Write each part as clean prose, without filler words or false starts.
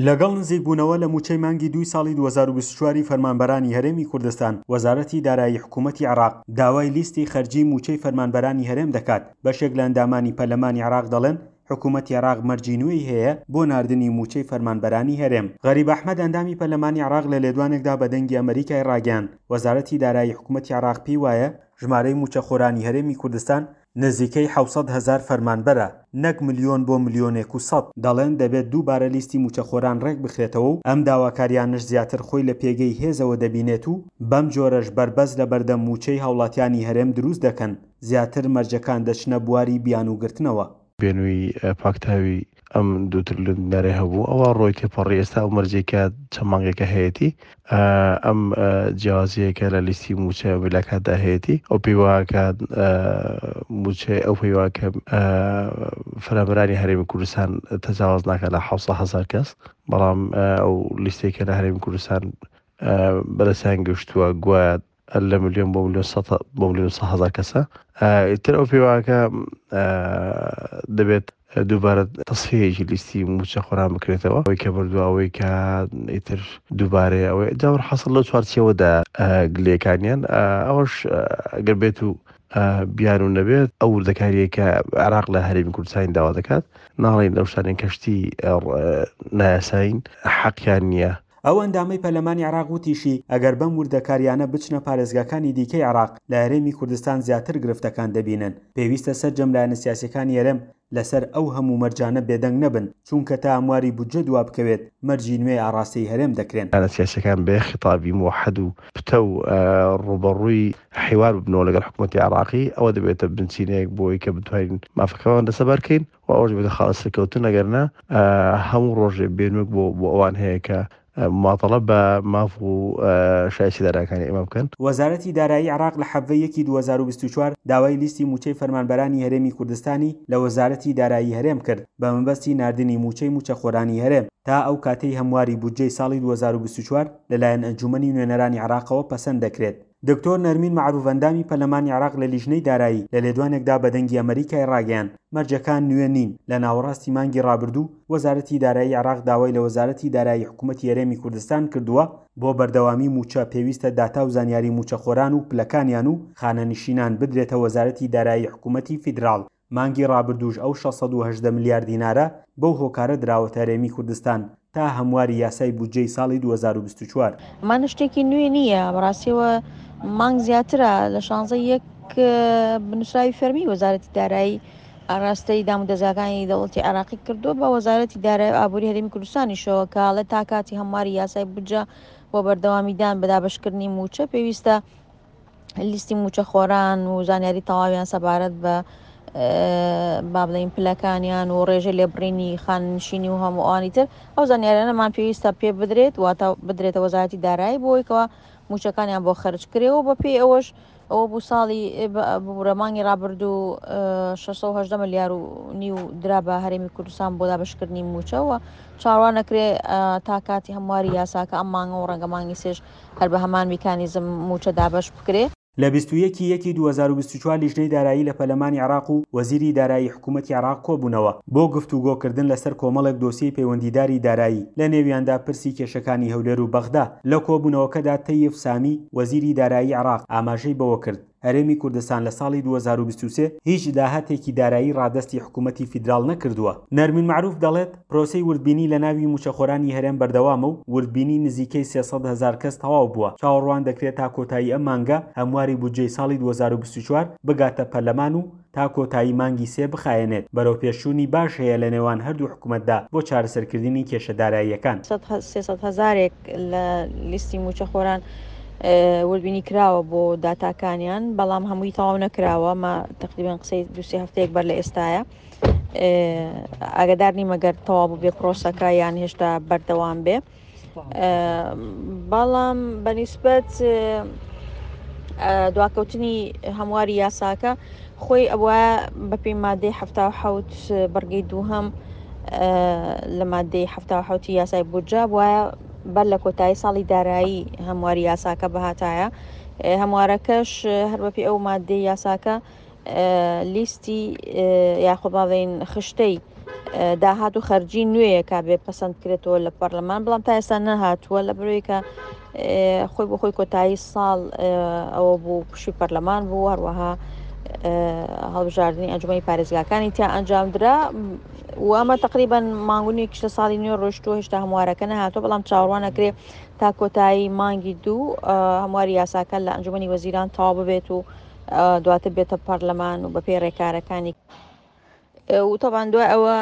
لەگەڵ نزیکبوونەوە لە مووچەی مانگی دووی ساڵی 2024 ی فەرمانبەرانی هەرێمی کوردستان، وەزارەتی دارایی حکوومەتی عێراق داوای لیستی خەرجیی مووچەی فەرمانبەرانی هەرێم دەکات. بەشێک لە ئەندامانی پەرلەمانی عێراق دەڵێن، حکوومەتی عێراق مەرجی نوێی هەیە بۆ ناردنی مووچەی فەرمانبەرانی هەرێم. غەریب ئەحمەد ئەندامی پەرلەمانی عێراق لە لێدوانێکدا بە دەنگی ئەمەریکای ڕاگەیاند، وەزارەتی دارایی حکوومەتی عێراق پێی وایە ژمارەی مووچەخۆرانی هەرێمی کوردستان نزیکەی 700 هەزار فەرمانبەرە، نەک ملیۆن بۆ ملیۆنێک و سەد. دەڵێن دەبێت دووبارە لیستی مووچەخۆران ڕێکبخرێتەوە و ئەم داواکاریانەش زیاتر خۆی لە پێگەی هێزەوە دەبینێت و بەم جۆرەش بەربەست لەبەردەم مووچەی هاوڵاتیانی هەرێم دروست دەکەن، زیاتر مەرجەکان دەچنە بواری بیانووگرتنەوە. بێنووی پاکتاوی ئەم دوو ترلیۆن دینارەی هەبوو ئەوە ڕۆی تێپەڕی ئێستا ئەو مەرجەی کە چەند مانگێکە هەیەتی ئەم جیاوازیەیە کە لە لیستی مووچە میلاکاتدا هەیەتی ئەو پێی وایە کە مووچەی ئەو پێی وایە کە فەرمانبەرانی هەرێمی کوردستان تەجاوەز ناکات لە 700 هەزار کەس بەڵام ئەو لیستەی کە لە هەرێمی کوردستان بەدەستیان گەشتووە گوایە لە ملیۆن بۆ ملیۆن سە بۆ ملیۆن سە هەزار کەسە ئیتر ئەو پێواکە دەبێت دووبارە تەسفیەیەکی لیستی مووچە خۆران بکرێتەوە ئەوەی کە بردووە ئەوەی کە ئیتر دووبارەیە ئەوەی جاور حەسڵ لەو چوارچێوەدا گلەیەکانیان ئەوەش ئەگەر بێت و بیان و نەبێت ئەو وردەکاریە کە عێراق لە هەرێمی کوردستانی داوا دەکات ناڵین لەو شتانەی کەشتی نایاسایین حەقیان نییە. ئەو ئەندامەی پەرلەمانی عێراق وتیشی، ئەگەر بەم وردەکارییانە بچنە پارێزگاکانی دیکەی عێراق، لە هەرێمی کوردستان زیاتر گرفتەکان دەبینن. پێویستە سەرجەم لایەنە سیاسییەکانی هەرێم لەسەر ئەو هەموو مەرجانە بێدەنگ نەبن، چونکە تا هەمواری بودجە دوابکەوێت، مەرجی نوێ ئاڕاستەی هەرێم دەکرێن. لایەنە سیاسییەکان بە یەک خیتابی موەحەد و پتەو ڕووبەڕووی حیوار ببنەوە لەگەڵ حکومەتی عێراقی، ئەوە دەبێتە بنچینەیەک بۆ ئەوەی کە بتوانین مافەکەمان دەستەبەر کەین. و ئەوەش دەبێتە خاڵی سەرکەوتن ئەگەر نا هەموو ڕۆژێ بێنوک بۆ بۆ ئەوان هەیە کە ماتەڵە بە ماف و شایستی دارایەکانی ئێمە بکەن. وەزارەتی دارایی عێراق لە 17 یەکی 2024 داوای لیستی مووچەی فەرمانبەرانی هەرێمی کوردستانی لە وەزارەتی دارایی هەرێم کرد بە مەبەستی ناردنی مووچەی مووچەخۆرانی هەرێم تا ئەو کاتەی هەمواری بودجەی ساڵی 2024 لەلایەن ئەنجوومەنی نوێنەرانی عێراقەوە پەسەند دەکرێت. دکتۆر نەرمین مەعروف ئەندامی پەرلەمانی عێراق لە لیژنەی دارایی لە لێدوانێکدا بە دەنگی ئەمەریکای ڕاگەیاند، مەرجەکان نوێ نین، لە ناوەڕاستی مانگی ڕابردوو وەزارەتی دارایی عێراق داوای لە وەزارەتی دارایی حکومەتی هەرێمی کوردستان کردووە بۆ بەردەوامی مووچە پێویستە داتا و زانیاری مووچەخۆران و پلەکانیان و خانەنشینان بدرێتە وەزارەتی دارایی حکومەتی فیدراڵ. مانگی ڕابردووش ئەو 618 ملیار دینارە بەو هۆکارە دراوەتە هەرێمی کوردستان تا هەمواری یاسای بودجەی ساڵی 2024. ئەمانە شتێکی نوێ نییە، بەڕاستیەوە مانگ زیاترە لە شانزە یەک بنووسراوی فەرمی وەزارەتی دارایی ئاراستەی دامودەزگاکانی دەوڵەتی عێراقی کردووە بە وەزارەتی دارایی و ئابووری هەرێمی کوردستانیشەوە کە ئەڵێ تا کاتی هەمواری یاسای بودجە بۆ بەردەوامیدان بە دابەشکردنی مووچە پێویستە لیستی مووچەخۆران و زانیاری تەواویان سەبارەت بە با بڵێین پلەکانیان و ڕێژەی لێبڕینی خانەنشینی و هەموو ئەوانی تر ئەو زانیاریانەمان پێویستە پێ بدرێت واتە بدرێتە وەزارەتی دارایی بۆی کەوا مووچەکانیان بۆ خەرج کرێ و بەپێی ئەوەش ئەوە بوو ساڵی ببورە مانگی ڕابردوو 618 ملیار و نیو درا بە هەرێمی کوردستان بۆ دابەشکردنی مووچەوە چاوەڕوان نەکرێ تا کاتی هەمواری یاساکە ئەم مانگە و ڕەنگە مانگی سێش هەر بە هەمان میکانیزم مووچە دابەش بکرێ. لە 21 ی یەکی 2024 لیژنەی دارایی لە پەرلەمانی عێراق و وەزیری دارایی حکوومەتی عێراق کۆبوونەوە بۆ گفتوگۆکردن لەسەر کۆمەڵێک دۆسیەی پەیوەندیداری دارایی، لە نێویاندا پرسی کێشەکانی هەولێر و بەغدا. لە کۆبوونەوەکەدا تەیف سامی، وەزیری دارایی عێراق ئاماژەی بەوەکرد، هەرێمی کوردستان لە ساڵی 2023 هیچ داهاتێکی دارایی ڕادەستی حکوومەتی فیدراڵ نەکردووە. نەرمین مەعروف دەڵێت، پرۆسەی وردبینی لە ناوی مووچەخۆرانی هەرێم بەردەوامە و وردبینی نزیکەی 300 هەزار کەس تەواو بووە، چاوەڕوان دەکرێت تا کۆتایی ئەم مانگە هەمواری بودجەی ساڵی 2024 بگاتە پەرلەمان و تا کۆتایی مانگی سێ بخایەنێت، بەرەوپێشچوونی باش هەیە لە نێوان هەردوو حکومەتدا بۆ چارەسەرکردنی کێشە داراییەکان. 300 هەزارێک لە لیستی مووچەخۆران وردبینی کراوە بۆ داتاکانیان، بەڵام هەمووی تەواو نەکراوە، مە تەقریبەن قسەی دوو سێ هەفتەیەک بەر لە ئێستایە. ئاگادار نیم ئەگەر تەواو بووبێ پرۆسەکە یان هێشتا بەردەوام بێ. بەڵام بەنیسبەت دواکەوتنی هەمواری یاساکە خۆی ئەوە بەپێی مادەی حەوت بڕگەی دووهەم لە مادەی حەوتی یاسای بودجە وایە بەر لە کۆتایی ساڵی دارایی هەمواری یاساکە بهاتایە هەموارەکەش هەر بەپێی ئەو مادەی یاساکە لیستی یاخود باڵێن خشتەی. داهات و خەرجی نوێیەکە بێ پەسەند بکرێتەوە لە پەرلەمان بەڵام تا ئێستا نەهاتووە لە بەرەوەی کە خۆی بۆ خۆی کۆتایی ساڵ ئەوە بوو پشوی پەرلەمان بوو هەروەها هەڵبژاردننی ئەنجومی پارێزگاکانی تیا ئەنجامدرا و ئەمە تقریبان مانگونیەکیش لە ساڵی نوێ ڕۆشتووە هێشتا هەموارەکە نەهاتووە بەڵام چاوەڕوان ئەکرێ تا کۆتایی مانگی دوو هەمواری یاساکە لە ئەنجومی وەزیران تەواو ببێت و دواتر بێتە پەرلەمان و بەپێی ڕێکارەکانی و تەبان دوای ئەوە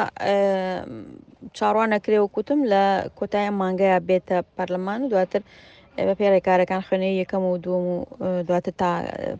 چاڕوان نەکرێ و کوتم لە کۆتای مانگەیە بێتە پەرلەمان و دواتر بە پێی ڕێکارەکان خوێنەوەی یەکەم و دووەم و دواتر تا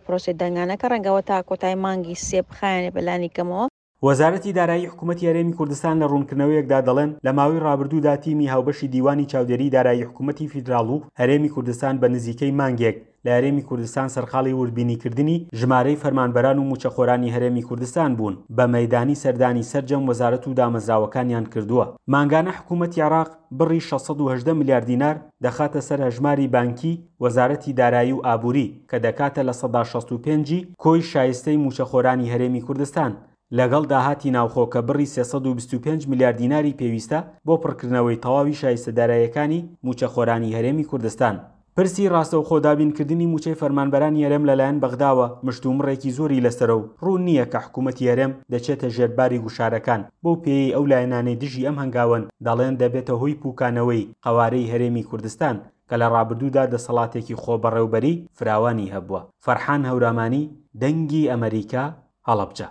پرۆسی دەنگانەکە ڕەنگەوە تا کۆتای مانگی سێ بخایەنێ بەلانی کەمەوە. وەزارەتی دارایی حکومەتی هەرێمی کوردستان لە ڕوونکردنەوەیەکدا دەڵێن، لە ماوەی ڕابردوودا تیمی هاوبەشی دیوانی چاودێریی دارایی حکومەتی فیدراڵ و هەرێمی کوردستان بە نزیکەی مانگێک لە هەرێمی کوردستان سەرقاڵی وردبینیکردنی ژمارەی فەرمانبەران و مووچەخۆرانی هەرێمی کوردستان بوون، بە مەیدانی سەردانی سەرجەم وەزارەت و دامەزراوەکانیان کردووە. مانگانە حکومەتی عێراق بڕی 618 ملیار دینار دەخاتە سەر هەژماری بانکی وەزارەتی دارایی و ئابووری کە دەکاتە 65% ی کۆی شایستەی مووچەخۆرانی هەرێمی کوردستان، لەگەڵ داهاتی ناوخۆ کە بڕی 325 ملیار دیناری پێویستە بۆ پڕکردنەوەی تەواوی شایستە داراییەکانی مووچەخۆرانی هەرێمی کوردستان. پرسی ڕاستەوخۆ دابینکردنی مووچەی فەرمانبەرانی هەرێم لەلایەن بەغداوە مشتومڕێکی زۆری لەسەرە و ڕوون نییە کە حکوومەتی هەرێم دەچێتە ژێر باری گوشارەکان، بەو پێیەی ئەو لایەنانەی دژی ئەم هەنگاوەن دەڵێن دەبێتە هۆی پووکانەوەی قەوارەی هەرێمی کوردستان کە لە ڕابردوودا دەسەڵاتێکی خۆبەڕێوبەری فراوانی هەبووە. فەرحان هەورامانی، دەنگی ئەمەریکا، هەڵەبجە.